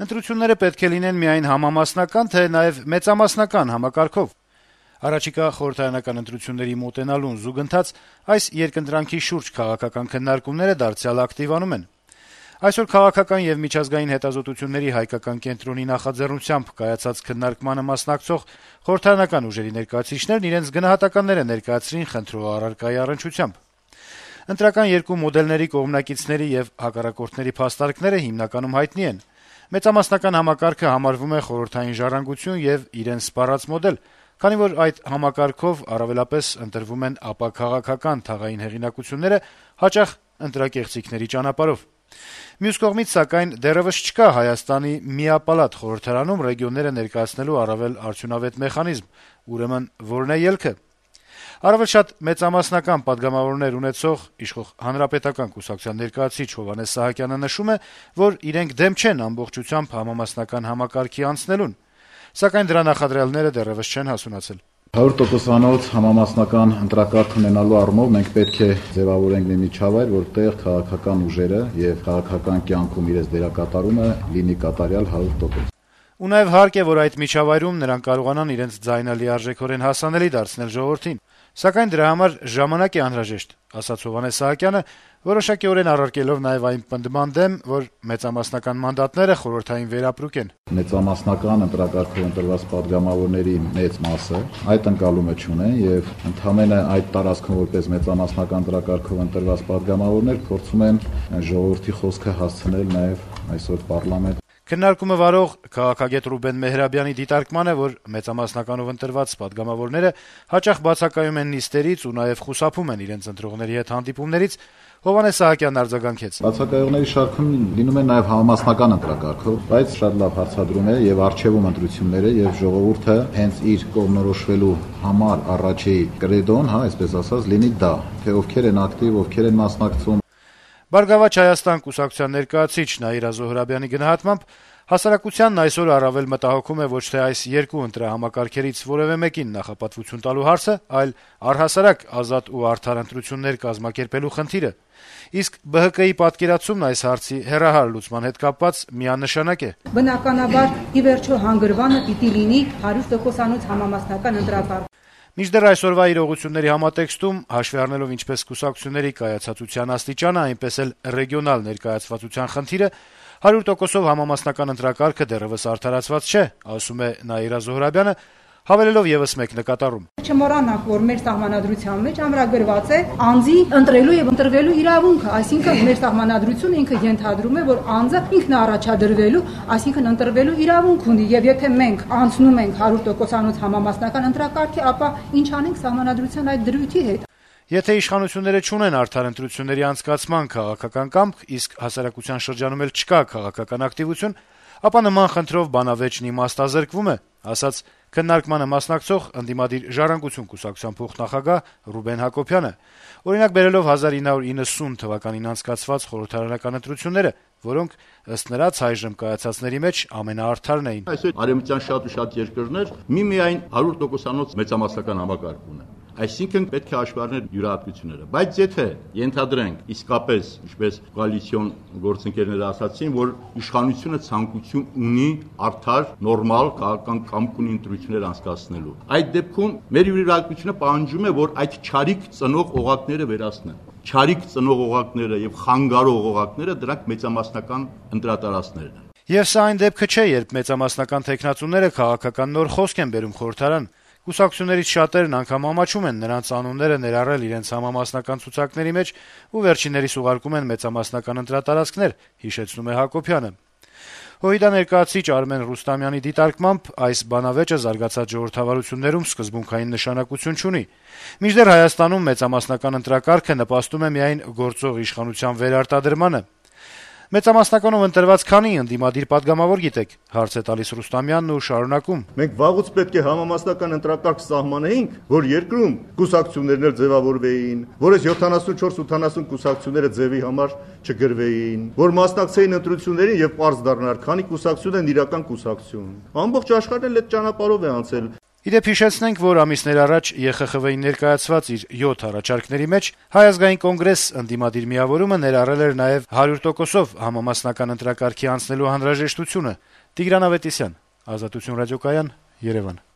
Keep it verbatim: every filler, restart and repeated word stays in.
Ընտրությունները պետք է լինեն միայն համամասնական, թե նաեւ մեծամասնական համակարգով։ Առաջիկա խորհրդարանական ընտրությունների մոտենալուն զուգընթաց այս երկընտրանքի շուրջ քաղաքական քննարկումները դարձյալ ակտիվանում են։ Այսօր քաղաքական եւ միջազգային հետազոտությունների հայկական կենտրոնի նախաձեռնությամբ կայացած քննարկմանը մասնակցող խորհրդարանական ուժերի ներկայացուցիչներն իրենց գնահատականները ներկայացրին խնդրող առարկայի առնչությամբ։ Ընտրական երկու մոդելների կողմնակիցների եւ հակառակորդների փաստարկները հիմնականում հայտնի են։ Մեծամասնական համակարգը համարվում է խորհրդային ժառանգություն եւ իրեն սպառած մոդել, քանի որ այդ համակարգով առավելապես ընտրվում են ապաքաղաքական թաղային հեղինակությունները, հաճախ ընտրակեղծիքների ճանապարհով։ Մյուս կողմից, սակայն, դեռեւս չկա Հայաստանի միապալատ խորհրդարանում ռեգիոնները ներկայացնելու առավել արդյունավետ մեխանիզմ, ուրեմն որն է ելքը։ Առավել շատ մեծամասնական падգամավորներ ունեցող իշխող Հանրապետական կուսակցության ներկայացուցիչ Հովհաննես Սահակյանը նշում է, որ իրենք դեմ չեն ամբողջությամբ համամասնական համակարգի անցնելուն, սակայն դրա նախադրյալները դեռեւս չեն հասունացել։ հարյուր տոկոսանոց համամասնական ընտրակարգ ունենալու առումով մենք պետք է ձևավորենք մի միջավայր, որտեղ քաղաքական ուժերը եւ քաղաքական կյանքում իրենց դերակատարումը լինի կատարյալ հարյուր տոկոս։ Ու նաեւ հարկ է, որ այդ միջավայրում նրանք կարողանան իրենց ձայնը լիարժեքորեն հասանելի դարձնել ժողովրդին, սակայն դրա համար ժամանակ է անհրաժեշտ, ասաց Հովհաննես Սահակյանը, որոշակիորեն առարկելով նաեւ այն պնդման դեմ, որ մեծամասնական մանդատները խորհրդային վերապրուկ են։ Մեծամասնական ընտրակարգով ընտրված падգամավորների մեծ մասը այդ ընկալումը չունեն եւ ընդհանրապես այդ տարածքում որպես մեծամասնական ընտրակարգով ընտրված падգամավորներ փորձում են ժողովրդի խոսքը հասցնել նաեւ այսօր պարլամենտ։ Քննարկումը վարող քաղաքագետ Ռուբեն Մեհրաբյանի դիտարկման է, որ մեծամասնականով ընտրված падգամավորները հաճախ բացակայում են նիստերից ու նաեւ խուսափում են իրենց ընտրողների հետ հանդիպումներից, Հովհաննես Սահակյանն արձագանքեց. Բացակայողների շարքում լինում են նաեւ համամասնական ընտրակարգով, բայց շատ լավ հարցադրում է եւ արժեվում ընտրությունները եւ ժողովուրդը հենց իր կողմնորոշվելու համար առաջի կրեդոն, հա, այսպես ասած, լինի դա, թե ովքեր են ակտիվ, ովքեր են մասնակցում։ Բարգավաճ Հայաստան կուսակցության ներկայացուցիչ Նաիրա Զոհրաբյանի գնահատմամբ հասարակությանն այսօր առավել մտահոգում է ոչ թե այս երկու ընտրահամակարգերից որևէ մեկին նախապատվություն տալու հարցը, այլ առհասարակ ազատ ու արդար ընտրություններ կազմակերպելու խնդիրը։ Իսկ B H K-ի պատկերացումն այս հարցի հեռահար լուծման հետ կապված միանշանակ է։ Բնականաբար ի վերջո հանգրվանը պիտի լինի հարյուր տոկոսանոց համամասնական ընտրակարգ։ Մինչդեռ այսօրվա իրողությունների համատեքստում, հաշվի առնելով ինչպես կուսակցությունների կայացածության աստիճանը, այնպես էլ ռեգիոնալ ներկայացվածության խնդիրը, հարյուր տոկոսով համամասնական ընտրակարգը դեռեւս արդարացված չէ, ասում է Նաիրա Զոհրաբյանը, հավելելով եւս մեկ նկատառում։ Չմոռանանք, որ մեր սահմանադրության մեջ ամրագրված է անձի ընտրելու եւ ընտրվելու իրավունքը, այսինքն մեր սահմանադրությունը ինքը ենթադրում է, որ անձը ինքն առաջադրվելու, այսինքն ընտրվելու իրավունք ունի, եւ եթե մենք անցնում ենք հարյուր տոկոսանոց համամասնական ընտրակարգի, ապա ինչ անենք սահմանադրության այդ դրույթի հետ։ Եթե իշխանությունները չունեն արդար ընտրությունների անցկացման քաղաքական կամք, իսկ հասարակության շրջանում էլ չկա քաղաքական ակտիվություն, ապա նման խնդրով բանավեճն իմաստազրկվում է, ասաց քննարկմանը մասնակցող ընդդիմադիր Ժառանգություն կուսակցության փոխնախագահ Ռուբեն Հակոբյանը, օրինակ բերելով հազար ինը հարյուր իննսուն թվականին անցկացված խորհրդարանական ընտրությունները, որոնք ըստ նրանց այժմ կայացածների մեջ ամենաարդարն էին։ Այսօր արևմտյան շատ ու շատ երկրներ միմիայն հարյուր տոկոսանոց մեծամասնական համակարգ ունեն։ Այսինքն պետք է հաշվի առնել յուրահատկությունները, բայց եթե ենթադրենք իսկապես, ինչպես կոալիցիոն գործընկերները ասացին, որ իշխանությունը ցանկություն ունի արդար, նորմալ քաղաքական կամք ունի ընտրություններ անցկացնելու, այդ դեպքում մեր յուրահատկությունը պահանջում է, որ այդ չարիք ծնող օղակները վերացնեն։ Չարիք ծնող օղակները եւ խանգարող օղակները դրանք մեծամասնական ընտրատարածքներն են։ Եվ սա այն դեպքը չէ, երբ մեծամասնական տեխնացուները քաղաքական նոր խոսք են բերում խորհրդարան։ Կուսակցություններից շատերն անգամ ամաչում են նրանց անունները ներառել իրենց համամասնական ցուցակների մեջ ու վերջիններիս ուղարկում են մեծամասնական ընտրատարածքներ, հիշեցնում է Հակոբյանը։ Հույդա ներկայացուցիչ Արմեն Ռուստամյանի դիտարկմամբ այս բանավեճը զարգացած ժողովրդավարություններում սկզբունքային նշանակություն չունի։ Մինչդեռ Հայաստանում մեծամասնական ընտրակարգը նպաստում է միայն գործող իշխանության վերարտադրմանը։ Մեծամասնականով ընտրված քանի ընդդիմադիր падգամավոր գիտեք, հարց է տալիս Ռուստամյանն ու շարունակում. Մենք վաղուց պետք է համամասնական ընտրակարգ սահմանեինք, որ երկրում կուսակցություններն էլ ձևավորվեին, որ այս յոթանասունչորս ութանասուն կուսակցությունները ձևի համար չգրվեին, որ մասնակցեին ընտրություններին եւ պարզ դառնար, քանի կուսակցություն են իրական կուսակցություն։ Ամբողջ աշխարհն էլ այդ ճանապարհով է անցել։ Իդեպ հիշեցնենք, որ ամիսներ առաջ Է Խ Խ V-ին ներկայացված իր յոթ առաջարկների մեջ Հայ ազգային կոնգրես ընդդիմադիր միավորումը ներառել էր նաեւ հարյուր տոկոսով համամասնական ընտրակարգի անցնելու անհրաժեշտությունը։ Տիգրան Ավետիսյան, Ազատություն ռադիոկայան, Երեւան։